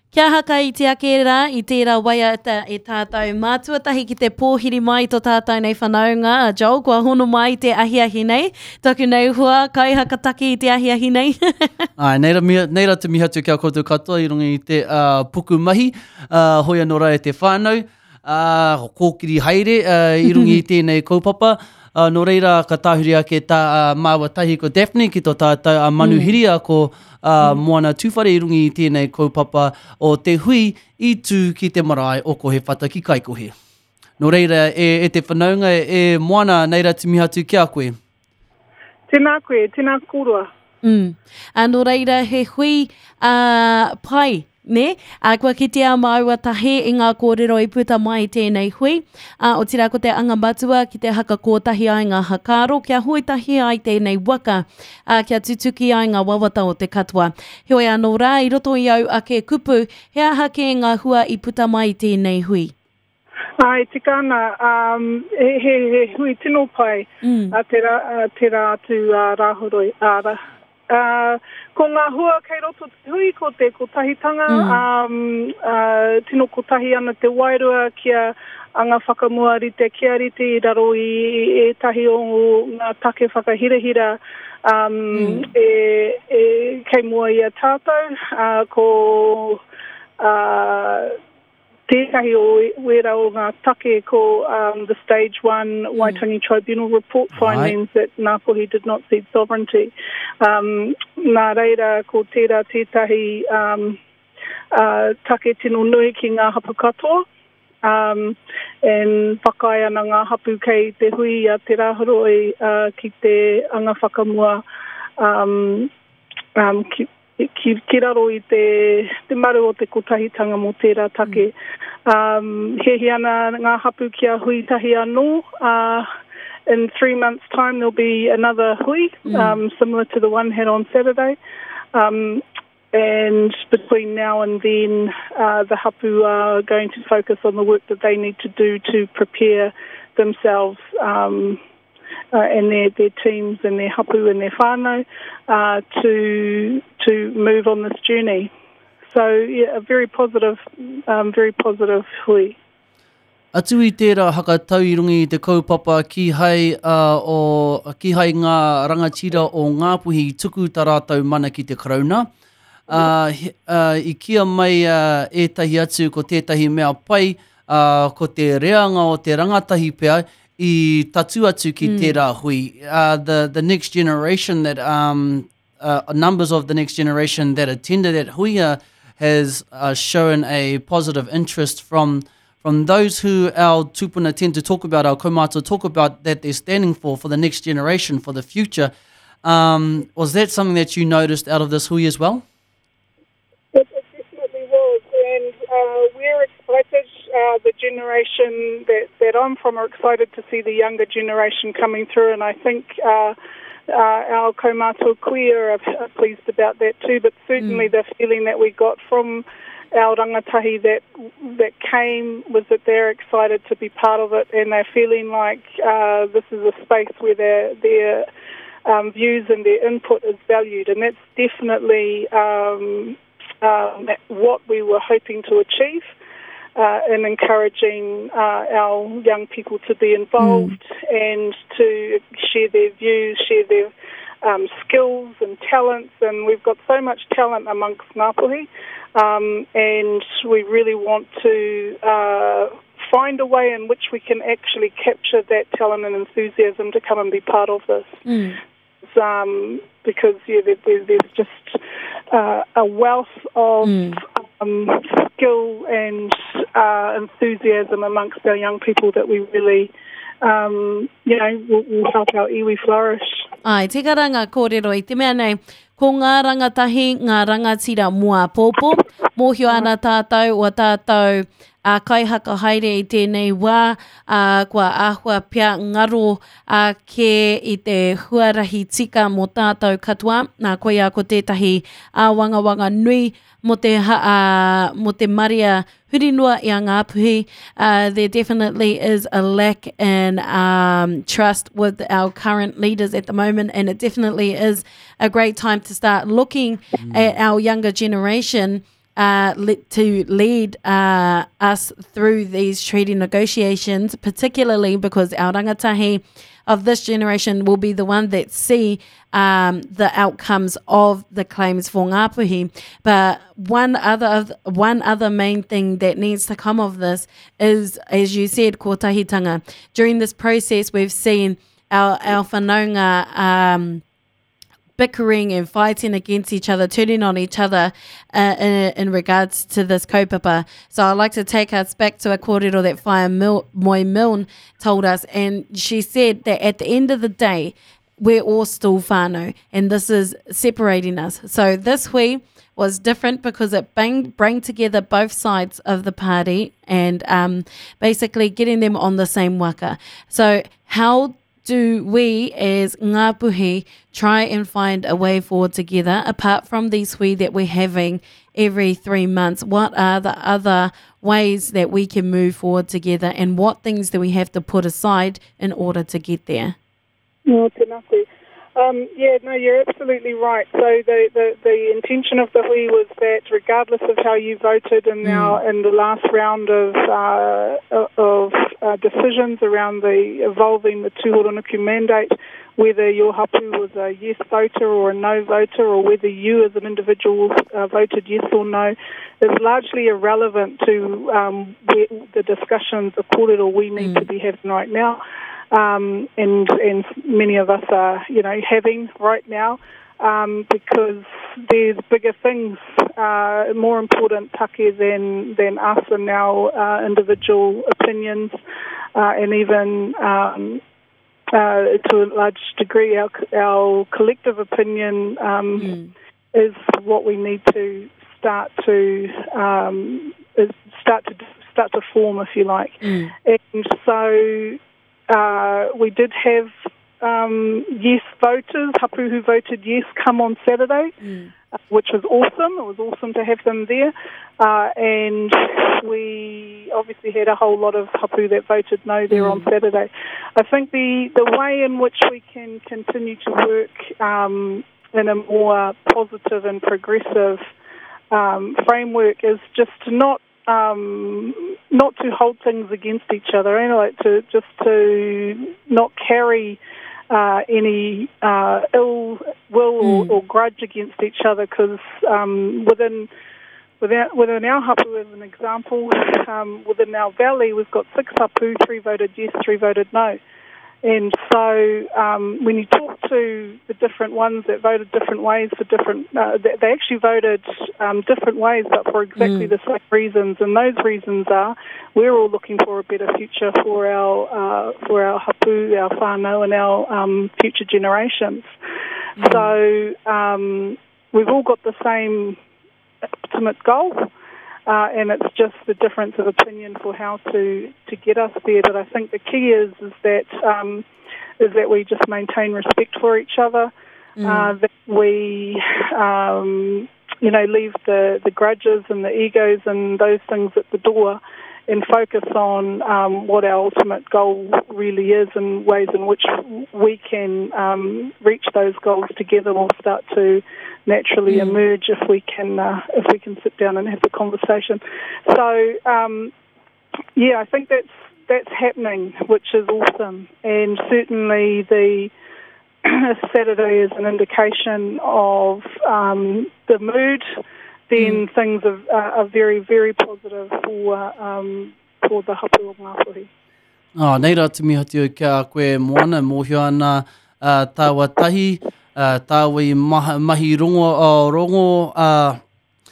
Kia hakaiti ake rā i tērā waiata e tātou mā tuatahi ki te pōhiri mai to tātou nei whanaunga a Joel kua hono mai i te ahiahi nei, taku nei hoa kaihakataki i te ahiahi nei. Ai, nei ra, nei ra te mihi atu ki a koutou katoa i runga i te uh, puku mahi, uh, hoi anō rā e te whānau, uh, kōkiri haere uh, i runga i tēnei kaupapa. Uh, nō reira, ka tāhuri ake tā uh, māua tahi ko Daphne ki tō tātou uh, manuhiri mm. ko uh, Moana Tūwhare i runga i tēnei kaupapa o te hui i tū ki te marae o Kohewhata ki Kaikohe. Nō reira, e, e te whanaunga, e Moana, nei rā timiha atu ki a koe. Tēnā koe, tēnā kōrua. Mm. A, nō reira, he hui uh, pai, nē? Ā, kua kitea māua tahi i ngā kōrero i puta mai i tēnei hui, ā, otirā ko te anga matua ki te haka kōtahi ai ngā hakaaro kia hoe tahi ai tēnei waka, ā, kia tutuki ai ngā wawata o te katoa. Heoi anō rā, i roto i au ake kupu, he aha kē ngā hua i puta mai i tēnei hui? Ā, e tika ana, ā, he, he, he hui tino pai mm. a te rā, te rā atu a Rāhoroi. Ā, rā, ā, ko ngā hua kei roto te hui, ko te kotahitanga, mm. ā, ā, tino kotahi ana te wairua kia anga whakamua rite kia rite i raro i ētahi o ngā take whakahirahira um, mm. e, e, kei mua i a tātou, ā, ko ā, Tētahi o wērā o ngā take ko um, the Stage 1 Waitangi mm. Tribunal report findings right. that Ngāpuhi did not cede sovereignty. Um, nā reira, ko tērā tētahi um, uh, take tino nui ki ngā hapu katoa. Um, and whakaae ana ngā hapu kei te hui a Te Rāhoroi uh, ki te anga whakamua um, um, ki, ki, ki raro i te, te maru o te kotahitanga mō tērā take. Mm. Um, hiahia ana ngā hapu kia hui tahi anō. Uh, in three months' time, there'll be another hui, mm. um, similar to the one had on Saturday. Um, and between now and then, uh, the hapu are going to focus on the work that they need to do to prepare themselves um, uh, and their, their teams and their hapu and their whānau uh, to, to move on this journey. So, yeah, a very positive, um, very positive hui. Atu i tērā hakatau i runga i te kaupapa kīhai, uh, o, kīhai ngā rangatira o Ngāpuhi i tuku tā rātou mana ki te Karauna. Uh, he, uh, i kīa mai uh, ētahi atu ko tētahi mea pai, uh, ko te reanga o te rangatahi pea i tatū atu ki mm. tērā hui. Uh, the, the next generation that, um, uh, numbers of the next generation that attended at Huia has uh, shown a positive interest from from those who our tupuna tend to talk about, our kaumātua talk about, that they're standing for, for the next generation, for the future. Um, was that something that you noticed out of this hui as well? It, it definitely was, and uh, we're excited. Uh, the generation that, that I'm from are excited to see the younger generation coming through, and I think uh, uh, our kaumātua kuia are, are pleased about that too. But certainly mm. the feeling that we got from our rangatahi that that came was that they're excited to be part of it, and they're feeling like uh, this is a space where their their um, views and their input is valued, and that's definitely um, um, what we were hoping to achieve. Uh, in encouraging uh, our young people to be involved mm. and to share their views, share their um, skills and talents. And we've got so much talent amongst Ngāpuhi, um, and we really want to uh, find a way in which we can actually capture that talent and enthusiasm to come and be part of this. Mm. Um, because yeah, there, there, there's just uh, a wealth of mm. um, skill and uh, enthusiasm amongst our young people that we really um, you know, will, will help our iwi flourish. Ai, tika rā ngā kōrero i te mea nei, ko ngā rangatahi, ngā rangatira mō āpōpō, mōhio ana tātou o tātou a kaihaka haere i tēnei wā, ā, kua āhua pea ngaro ā, kē i te huarahi tika mō tātou katoa, nā, koia ko tētahi āwangawanga nui mō te, ā, mō te marea huri noa i a Ngāpuhi. Uh, there definitely is a lack in um, trust with our current leaders at the moment, and it definitely is a great time to start looking mm. at our younger generation. uh, to lead uh, us through these treaty negotiations, particularly because our rangatahi of this generation will be the one that see um, the outcomes of the claims for Ngāpuhi. But one other one other main thing that needs to come of this is, as you said, kotahitanga. During this process, we've seen our, our whanaunga um, bickering and fighting against each other, turning on each other uh, in, in regards to this kaupapa. So I'd like to take us back to a kōrero that Whaea Mil- Moe Milne told us, and she said that at the end of the day, we're all still whānau, and this is separating us. So this hui was different because it bang, bring together both sides of the party and um, basically getting them on the same waka. So how do we as Ngāpuhi try and find a way forward together apart from these hui that we're having every three months? What are the other ways that we can move forward together and what things do we have to put aside in order to get there? No, tēnā koe. Um, yeah, no, you're absolutely right. So the, the, the intention of the hui was that regardless of how you voted in, mm. our, in the last round of, uh, of uh, decisions around the evolving the Tūhoronuku mandate, whether your hapu was a yes voter or a no voter, or whether you as an individual uh, voted yes or no, is largely irrelevant to um, the discussions, the kōrero we need mm. to be having right now um, and and many of us are, you know, having right now, um, because there's bigger things, uh, more important take than than us and our uh, individual opinions, uh, and even um, uh, to a large degree, our, our collective opinion um, mm. is what we need to start to um, start to start to form, if you like. Mm. And so uh, we did have um, yes voters, hapu who voted yes, come on Saturday, mm. which was awesome. It was awesome to have them there. Uh, and we obviously had a whole lot of hapu that voted no there mm. on Saturday. I think the, the way in which we can continue to work um, in a more positive and progressive um, framework is just to not um, not to hold things against each other, and like to just to not carry uh, any uh, ill will or, mm. or grudge against each other, because um, within within, within our hapu, as an example, um, within our valley, we've got six hapu, three voted yes, three voted no. And so um, when you talk to the different ones that voted different ways for different, uh, they, they actually voted um, different ways, but for exactly mm. the same reasons. And those reasons are we're all looking for a better future for our uh, for our hapu, our whānau, and our um, future generations. Mm. So um, we've all got the same ultimate goal. Uh, and it's just the difference of opinion for how to, to get us there. But I think the key is is that um, is that we just maintain respect for each other, mm. uh, that we um, you know leave the, the grudges and the egos and those things at the door, and focus on um, what our ultimate goal really is and ways in which we can um, reach those goals together will start to naturally mm. emerge if we can uh, if we can sit down and have the conversation. So um, yeah, I think that's that's happening, which is awesome, and certainly the Saturday is an indication of um, the mood then mm. things are, uh, are very, very positive for, um, for the hapu o Ngāpuhi. Oh, nei rā te mihi atu ki a koe Moana, mōhio ana uh, tāua tahi, uh, tāua i maha, mahi rongo, uh, rongo uh,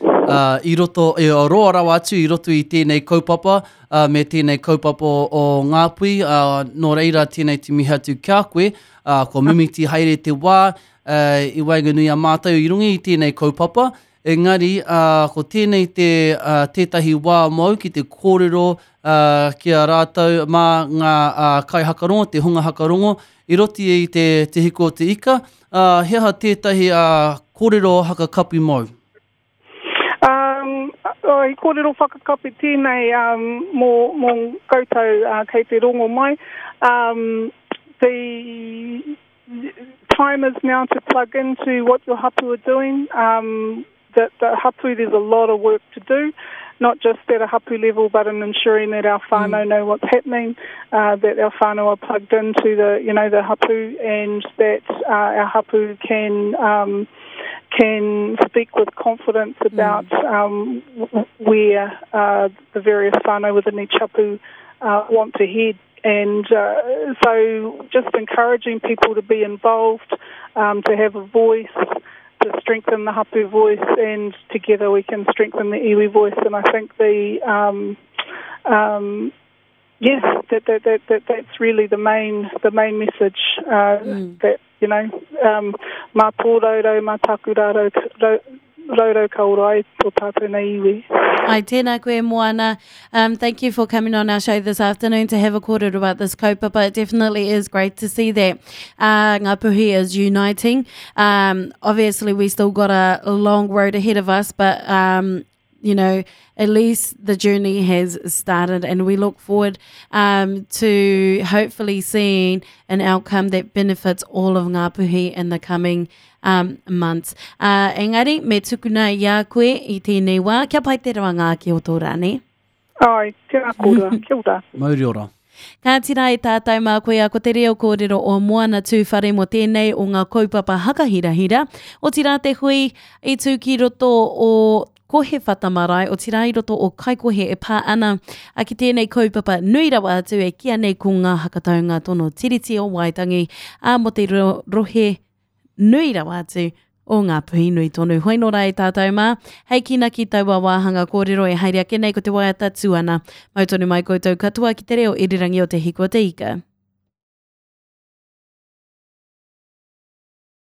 uh, i roto, e roa rawa atu i roto i tēnei kaupapa, uh, me tēnei kaupapa o, o Ngāpuhi, uh, nō reira tēnei te mihi atu ki a koe, uh, kua mimiti haere te wā uh, i waenganui a mātou i runga i tēnei kaupapa, Engari, ā, ko tēnei te, ā, tētahi wā mōu ki te kōrero, ā, ki a rātou mā ngā, ā, kaihakarongo, te hunga hakarongo, i roti i te, te hiko o te ika, ā, he aha tētahi, ā, kōrero hakakapi mōu? Um, oh, he kōrero whakakapi tēnei um, mō, mō koutou uh, kei te rongo mai. Um, the time is now to plug into what your hapu are doing. Um, the, the hapu, there's a lot of work to do, not just at a hapu level, but in ensuring that our whānau know what's happening, uh, that our whānau are plugged into the, you know, the hapu, and that uh, our hapu can um, can speak with confidence about um, where uh, the various whānau within each hapu uh, want to head. And uh, so just encouraging people to be involved, um, to have a voice, to strengthen the hapu voice, and together we can strengthen the iwi voice. And I think the um, um, yes, that, that, that, that that's really the main the main message uh, mm. that you know, um, mā tō raurau, mā tāku rārau, raurau ka ora ai tō tātou nei iwi. Ai, tēnā koe Moana. Um, thank you for coming on our show this afternoon to have a kōrero about this kaupapa. It definitely is great to see that uh, Ngāpuhi is uniting. Um, obviously, we still got a long road ahead of us, but um, you know, at least the journey has started, and we look forward um, to hopefully seeing an outcome that benefits all of Ngāpuhi in the coming um, months. Uh, engari, me tukuna i a koe i tēnei wā. Kia pai te rawa ngā ki o tō rā, ne? Ai, tēnā kōrua. Kia ora. Mauri ora. Ka tira e tātou mā koia ko te reo kōrero o Moana Tūwhare mō tēnei o ngā kaupapa hakahirahira, otirā te hui i tū ki roto o Kohewhata Marae, otirā i roto o Kaikohe e pā ana a ki tēnei kaupapa nui rawa atu e kīa nei ko ngā hakataunga tono Tiriti o Waitangi, ā, mō te rohe nui rawa atu o Ngā Puhi nui tonu. Hoi nō rā e tātou mā, hei kīnaki taua wāhanga kōrero e haere ake nei ko te waiata tū ana. Mau tonu mai koutou katoa ki te reo irirangi o Te Hiku o Te Ika.